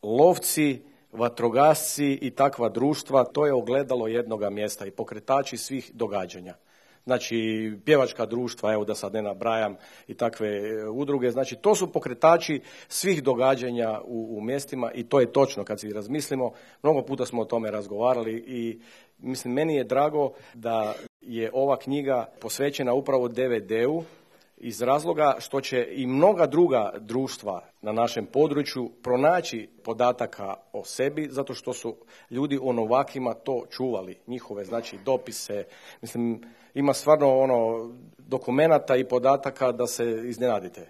lovci, vatrogasci i takva društva, to je ogledalo jednoga mjesta i pokretači svih događanja. Znači, pjevačka društva, evo da sad ne nabrajam, i takve udruge, znači to su pokretači svih događanja u mjestima i to je točno kad si razmislimo. Mnogo puta smo o tome razgovarali i mislim, meni je drago da je ova knjiga posvećena upravo DVD-u iz razloga što će i mnoga druga društva na našem području pronaći podataka o sebi, zato što su ljudi o novakima to čuvali, njihove znači dopise, mislim ima stvarno dokumenata i podataka da se iznenadite.